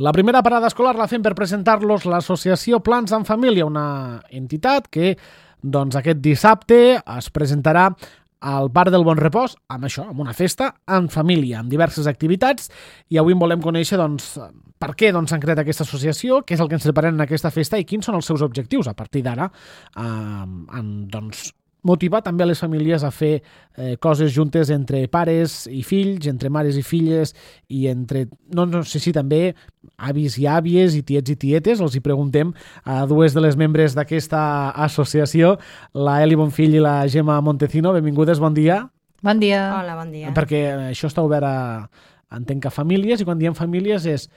La primera parada escolar la fem per presentar-los l'associació Plans en Família, una entitat que aquest dissabte es presentarà al Parc del Bon Repòs, amb això, amb una festa en família, amb diverses activitats, i avui en volem conèixer per què s'ha creat aquesta associació, què és el que ens preparen en aquesta festa i quins són els seus objectius a partir d'ara, motivar també a les famílies a fer coses juntes entre pares i fills, entre mares i filles i entre, no sé si també avis i àvies i tiets i tietes. Els hi preguntem a dues de les membres d'aquesta associació, la Eli Bonfill i la Gemma Montecino. Benvingudes, bon dia. Bon dia. Hola, bon dia. Perquè això està obert entenc, a famílies, i quan diem famílies és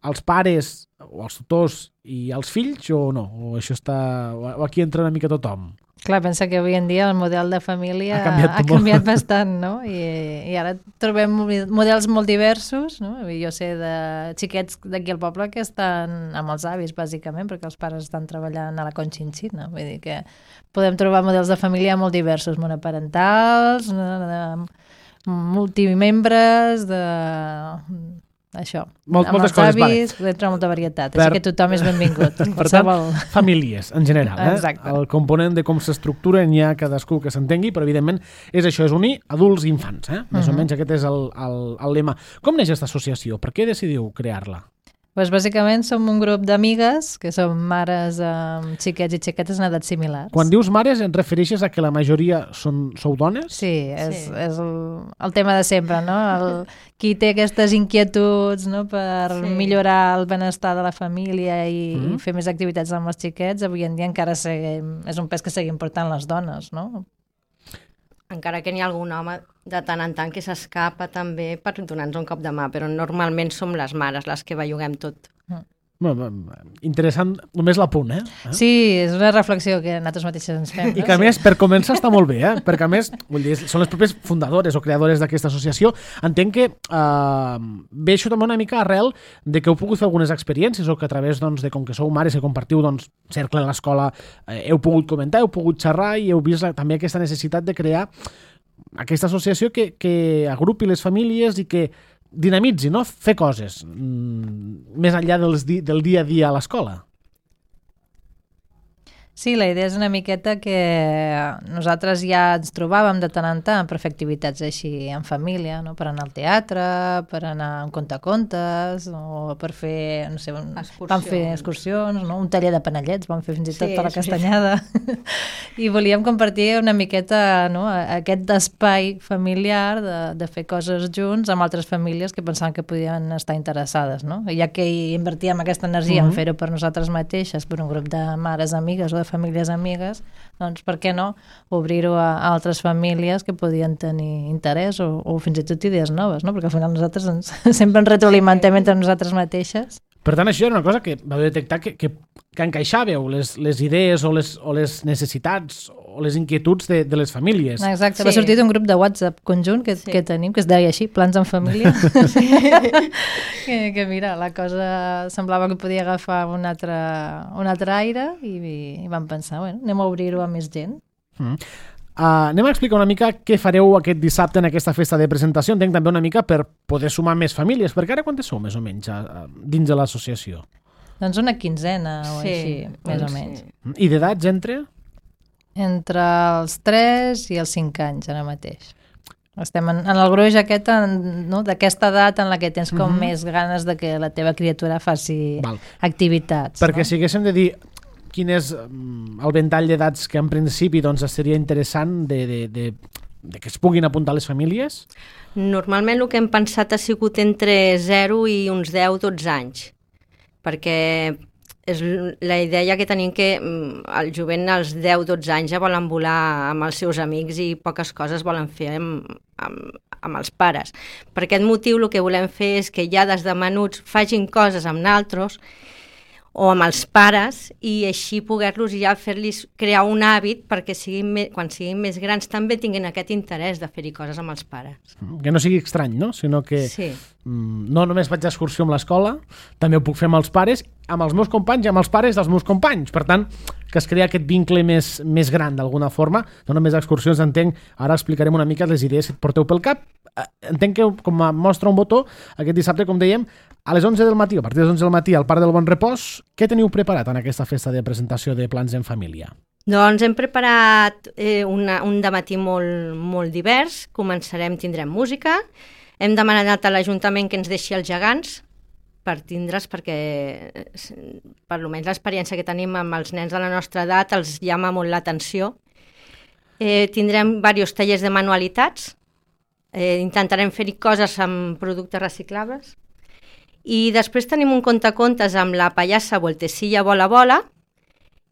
els pares o els tutors i els fills o no? O això o aquí entra una mica tothom? Clar, pensa que avui en dia el model de família ha canviat bastant, no? I ara trobem models molt diversos, no? Jo sé de xiquets d'aquí al poble que estan amb els avis, bàsicament, perquè els pares estan treballant a la Conchinchina. Vull dir que podem trobar models de família molt diversos, monoparentals, multimembres, això, moltes els coses, avis, podem trobar molta varietat, així que tothom és benvingut. Per tant, famílies, en general. Exacte. El component de com s'estructuren hi ha cadascú que s'entengui, però evidentment és això, és unir adults i infants. Més o menys aquest és el lema. Com neix aquesta associació? Per què decidiu crear-la? Doncs bàsicament som un grup d'amigues que som mares amb xiquets i xiquetes en edats similars. Quan dius mares, et refereixes a que la majoria sou dones? Sí, és el tema de sempre, no? Qui té aquestes inquietuds, no? Per millorar el benestar de la família i fer més activitats amb els xiquets, avui en dia encara és un pes que seguim portant les dones, no? Encara que n'hi ha algun home de tant en tant que s'escapa també per donar-nos un cop de mà, però normalment som les mares les que belluguem tot. Interessant, només l'apunt, Sí, és una reflexió que nosaltres mateixes ens fem. I que a més, per començar, està molt bé, perquè a més, vull dir, són les pròpies fundadores o creadores d'aquesta associació. Entenc que ve això també una mica arrel de que heu pogut fer algunes experiències o que a través, de com que sou mares i compartiu cercle a l'escola, heu pogut comentar, heu pogut xerrar i heu vist també aquesta necessitat de crear aquesta associació que agrupi les famílies i que dinamitzi, no? Fer coses més enllà del dia a dia a l'escola. Sí, la idea és una miqueta que nosaltres ja ens trobàvem de tant en tant per fer activitats així en família, no? Per anar al teatre, per anar a un contacontes, o per fer, no sé, vam fer excursions, no? Un taller de panellets, vam fer fins i tot a la Castanyada. I volíem compartir una miqueta, no? Aquest espai familiar de fer coses junts amb altres famílies que pensaven que podien estar interessades, no? Ja que hi invertíem aquesta energia en fer-ho per nosaltres mateixes, per un grup de mares amigues o de famílies amigues, doncs per què no obrir-ho a altres famílies que podien tenir interès o fins i tot idees noves, no? Perquè al final nosaltres sempre ens retroalimentem entre nosaltres mateixes. Per tant, això era una cosa que vau detectar que encaixàveu les idees o les necessitats o les inquietuds de les famílies. Exacte, va sortir d'un grup de WhatsApp conjunt que tenim, que es deia així, Plans en Família. que mira, la cosa semblava que podia agafar un altre aire i vam pensar, bueno, anem a obrir-ho a més gent. Anem a explicar una mica què fareu aquest dissabte en aquesta festa de presentació. Entenc també una mica per poder sumar més famílies, perquè ara quantes sou més o menys dins de l'associació? Doncs una quinzena o així, més o menys. I d'edats entre? Entre els 3 i els 5 anys ara mateix. Estem en el gruix aquest, no? D'aquesta edat en la que tens com més ganes de que la teva criatura faci activitats. Perquè si haguéssim de dir quin és el ventall d'edats que en principi seria interessant de que es puguin apuntar les famílies? Normalment el que hem pensat ha sigut entre 0 i uns 10-12 anys, perquè és la idea que tenim que el jovent als 10-12 anys ja volen volar amb els seus amics i poques coses volen fer amb els pares. Per aquest motiu el que volem fer és que ja des de menuts facin coses amb naltros o amb els pares i així poder-los ja fer-los crear un hàbit perquè quan siguin més grans també tinguin aquest interès de fer-hi coses amb els pares. Que no sigui estrany, no? Sinó que no només vaig d'excursió amb l'escola, també ho puc fer amb els pares, amb els meus companys i amb els pares dels meus companys. Per tant, que es crea aquest vincle més gran d'alguna forma. No només excursions, entenc, ara explicarem una mica les idees que et porteu pel cap. Entenc que com a mostra un botó, aquest dissabte, com dèiem, A les 11 del matí, a partir de les 11 del matí, al Parc del Bon Repòs, què teniu preparat en aquesta festa de presentació de plans en família? Doncs hem preparat un dematí molt divers. Tindrem música. Hem demanat a l'Ajuntament que ens deixi els gegants per tindre's, perquè per almenys l'experiència que tenim amb els nens de la nostra edat els llama molt l'atenció. Tindrem diversos tallers de manualitats. Intentarem fer-hi coses amb productes reciclables. I després tenim un contacontes amb la pallassa Voltecilla Bola Bola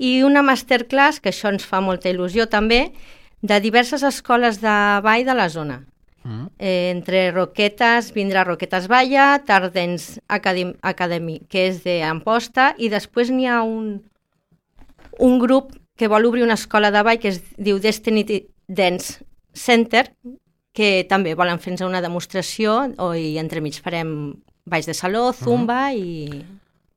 i una masterclass, que això ens fa molta il·lusió també, de diverses escoles de ball de la zona. Entre Roquetes, vindrà Roquetes Balla, Tardens Academy, que és d'Amposta, i després n'hi ha un grup que vol obrir una escola de ball que es diu Destiny Dance Center, que també volen fer-nos una demostració i entremig farem balls de saló, zumba i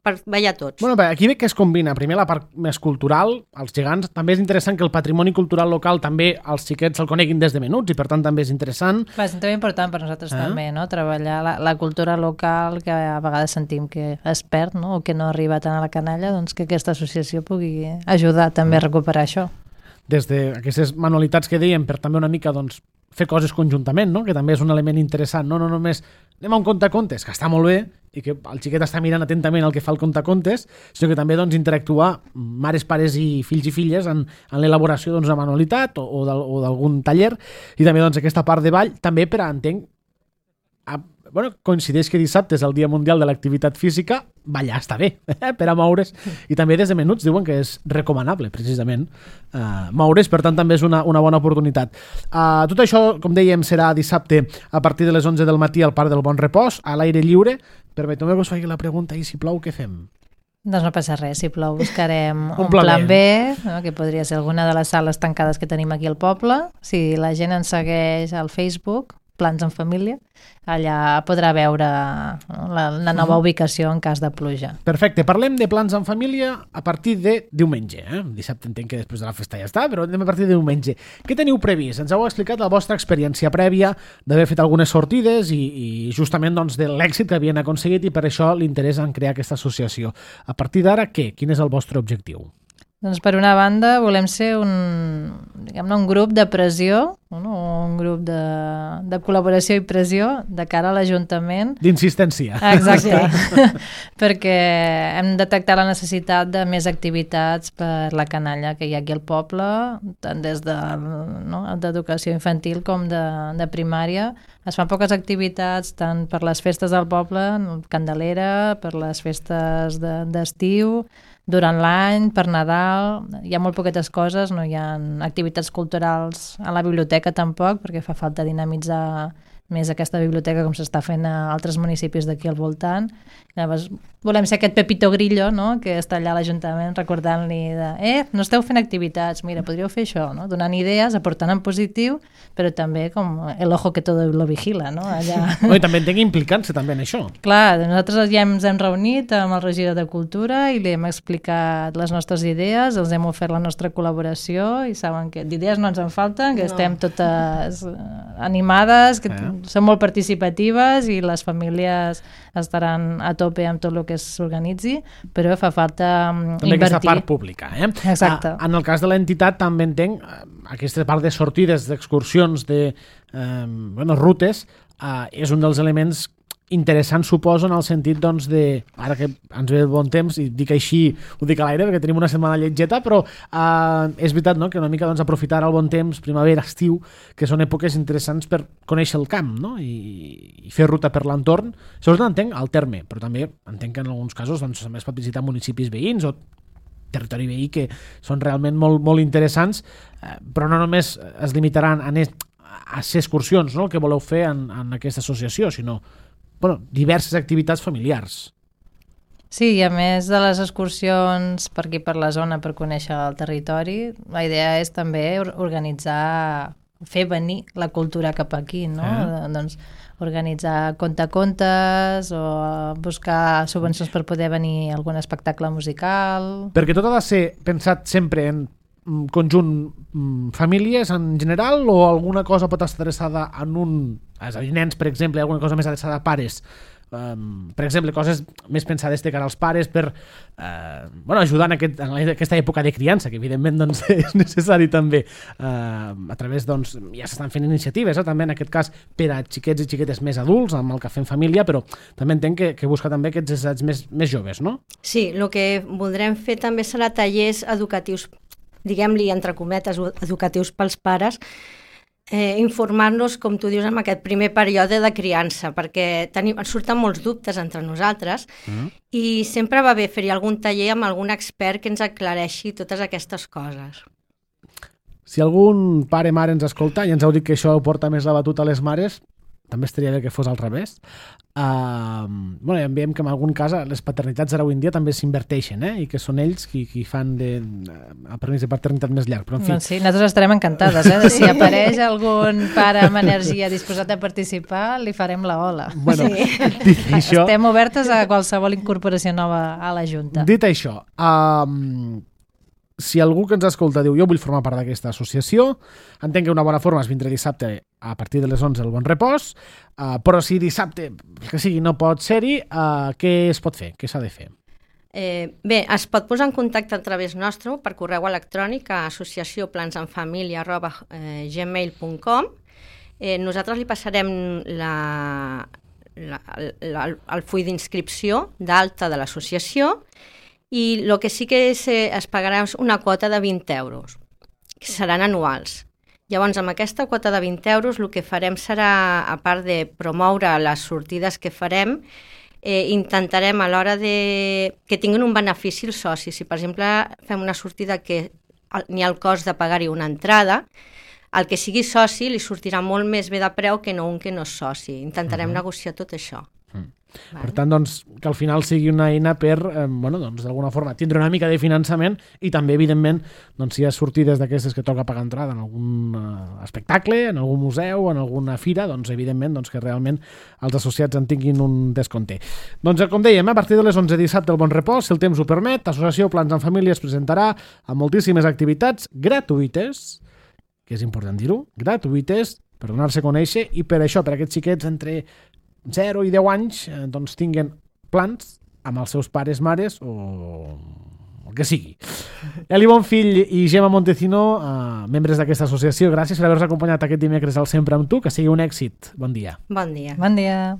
per ballar tots. Bueno, aquí ve que es combina primer la part més cultural, els gegants. També és interessant que el patrimoni cultural local també els xiquets el coneguin des de menuts i per tant també és interessant. Va, és també important per nosaltres també, no? Treballar la cultura local, que a vegades sentim que es perd, no? O que no arriba tant a la canalla, doncs que aquesta associació pugui ajudar també a recuperar això. Des d'aquestes manualitats que dèiem, per també una mica doncs, fer coses conjuntament, no? Que també és un element interessant, no només anem a un contacontes, que està molt bé, i que el xiquet està mirant atentament el que fa el contacontes, sinó que també doncs, interactuar mares, pares i fills i filles en l'elaboració d'una manualitat o d'algun taller, i també doncs, aquesta part de ball, també per a, entenc, coincideix que dissabte és el Dia Mundial de l'Activitat Física, ballar està bé, per a moure's, i també des de menuts diuen que és recomanable, precisament, moure's, per tant també és una bona oportunitat. Tot això, com dèiem, serà dissabte a partir de les 11 del matí al Parc del Bon Repòs, a l'aire lliure. Permeteu-me que us faci la pregunta, i si plou, què fem? Doncs no passa res, si plou buscarem un plan B, no? Que podria ser alguna de les sales tancades que tenim aquí al poble. Si la gent ens segueix al Facebook, Plans en Família, allà podrà veure la nova ubicació en cas de pluja. Perfecte, parlem de plans en família a partir de diumenge. Dissabte entenc que després de la festa ja està, però anem a partir de diumenge. Què teniu previst? Ens heu explicat la vostra experiència prèvia d'haver fet algunes sortides i justament doncs, de l'èxit que havien aconseguit, i per això l'interès en crear aquesta associació. A partir d'ara, què? Quin és el vostre objectiu? Doncs per una banda volem ser un grup de pressió, un grup de col·laboració i pressió de cara a l'Ajuntament. D'insistència. Exacte, perquè hem detectat la necessitat de més activitats per la canalla que hi ha aquí al poble, tant des d'educació infantil com de primària. Es fan poques activitats tant per les festes del poble, Candelera, per les festes d'estiu, durant l'any, per Nadal. Hi ha molt poquetes coses, no hi ha activitats culturals a la biblioteca tampoc, perquè fa falta dinamitzar més aquesta biblioteca com s'està fent a altres municipis d'aquí al voltant. Llavors, volem ser aquest Pepito Grillo, no? Que està allà a l'Ajuntament recordant-li no esteu fent activitats, mira, podríeu fer això, no? Donant idees, aportant en positiu, però també com el ojo que todo lo vigila, no? Allà. I també entenc implicant-se també en això. Clar, nosaltres ja ens hem reunit amb el regidor de Cultura i li hem explicat les nostres idees, els hem ofert la nostra col·laboració i saben que d'idees no ens en falten, que estem totes animades, que són molt participatives i les famílies estaran a tope amb tot el que s'organitzi, però fa falta també invertir. Aquesta part pública. Exacte. En el cas de l'entitat també entenc aquesta part de sortides, d'excursions, de rutes, és un dels elements interessants, suposo, en el sentit doncs, de, ara que ens ve el bon temps, i dic així, ho dic a l'aire perquè tenim una setmana lletgeta, però és veritat, no?, que una mica doncs, aprofitar el bon temps, primavera, estiu, que són èpoques interessants per conèixer el camp, no?, i fer ruta per l'entorn. Sobretot entenc el terme, però també entenc que en alguns casos doncs, també es pot visitar municipis veïns o territori veí que són realment molt, molt interessants, però no només es limitaran a ser excursions, no?, el que voleu fer en aquesta associació, sinó diverses activitats familiars. Sí, i a més de les excursions per aquí per la zona per conèixer el territori, la idea és també organitzar, fer venir la cultura cap aquí, no? Doncs organitzar contacontes o buscar subvencions per poder venir a algun espectacle musical. Perquè tot ha de ser pensat sempre en conjunt famílies en general, o alguna cosa pot estar adreçada en és a dir, nens, per exemple, alguna cosa més adreçada a pares, per exemple, coses més pensades de cara als pares per ajudar en aquesta època de criança, que evidentment doncs, és necessari també. A través, doncs, ja s'estan fent iniciatives, també en aquest cas per a xiquets i xiquetes més adults, amb el Cafè en Família, però també entenc que busca també aquests assaigs més joves, no? Sí, el que voldrem fer també serà tallers educatius, diguem-li, entre cometes, educatius pels pares, informar-nos, com tu dius, en aquest primer període de criança, perquè surten molts dubtes entre nosaltres i sempre va bé fer-hi algun taller amb algun expert que ens aclareixi totes aquestes coses. Si algun pare o mare ens escolta i ens heu dit que això porta més la batuta a les mares, també estaria bé que fos al revés. Ja en veiem que en algun cas les paternitats ara avui en dia també s'inverteixen, i que són ells qui fan el permís de paternitat més llarg. Però, en fi... Doncs sí, nosaltres estarem encantades. Si apareix algun pare amb energia disposat a participar, li farem la ola. Bueno, dit això... Estem obertes a qualsevol incorporació nova a la Junta. Dit això, si algú que ens escolta diu jo vull formar part d'aquesta associació, entenc que una bona forma és vindre dissabte a partir de les 11 al Bon Repòs, però si dissabte, que sigui, no pot ser-hi, què es pot fer? Què s'ha de fer? Bé, es pot posar en contacte a través nostre per correu electrònic a associacionplansenfamilia@gmail.com. Nosaltres li passarem el full d'inscripció d'alta de l'associació i el que sí que es pagarà és una quota de 20 euros, que seran anuals. Llavors, amb aquesta quota de 20 euros, el que farem serà, a part de promoure les sortides que farem, intentarem a l'hora que tinguin un benefici els socis. Si, per exemple, fem una sortida que n'hi ha el cost de pagar-hi una entrada, el que sigui soci li sortirà molt més bé de preu que no un que no és soci. Intentarem negociar tot això. Per tant, doncs, que al final sigui una eina per, d'alguna forma, tindre una mica de finançament i també, evidentment, doncs, si hi ha sortides d'aquestes que toca pagar entrada en algun espectacle, en algun museu, en alguna fira, doncs, evidentment, doncs, que realment els associats en tinguin un descompte. Doncs, com dèiem, a partir de les 11 dissabte al Bon Repòs, si el temps ho permet, l'Associació Plans en Família es presentarà amb moltíssimes activitats gratuïtes, que és important dir-ho, gratuïtes, per donar-se a conèixer i per això, per aquests xiquets entre 0 i 10 anys, doncs tinguen plans amb els seus pares, mares o el que sigui. Eli Bonfill i Gemma Montecino, membres d'aquesta associació, gràcies per haver-nos acompanyat aquest dimecres al Sempre amb tu, que sigui un èxit. Bon dia. Bon dia. Bon dia.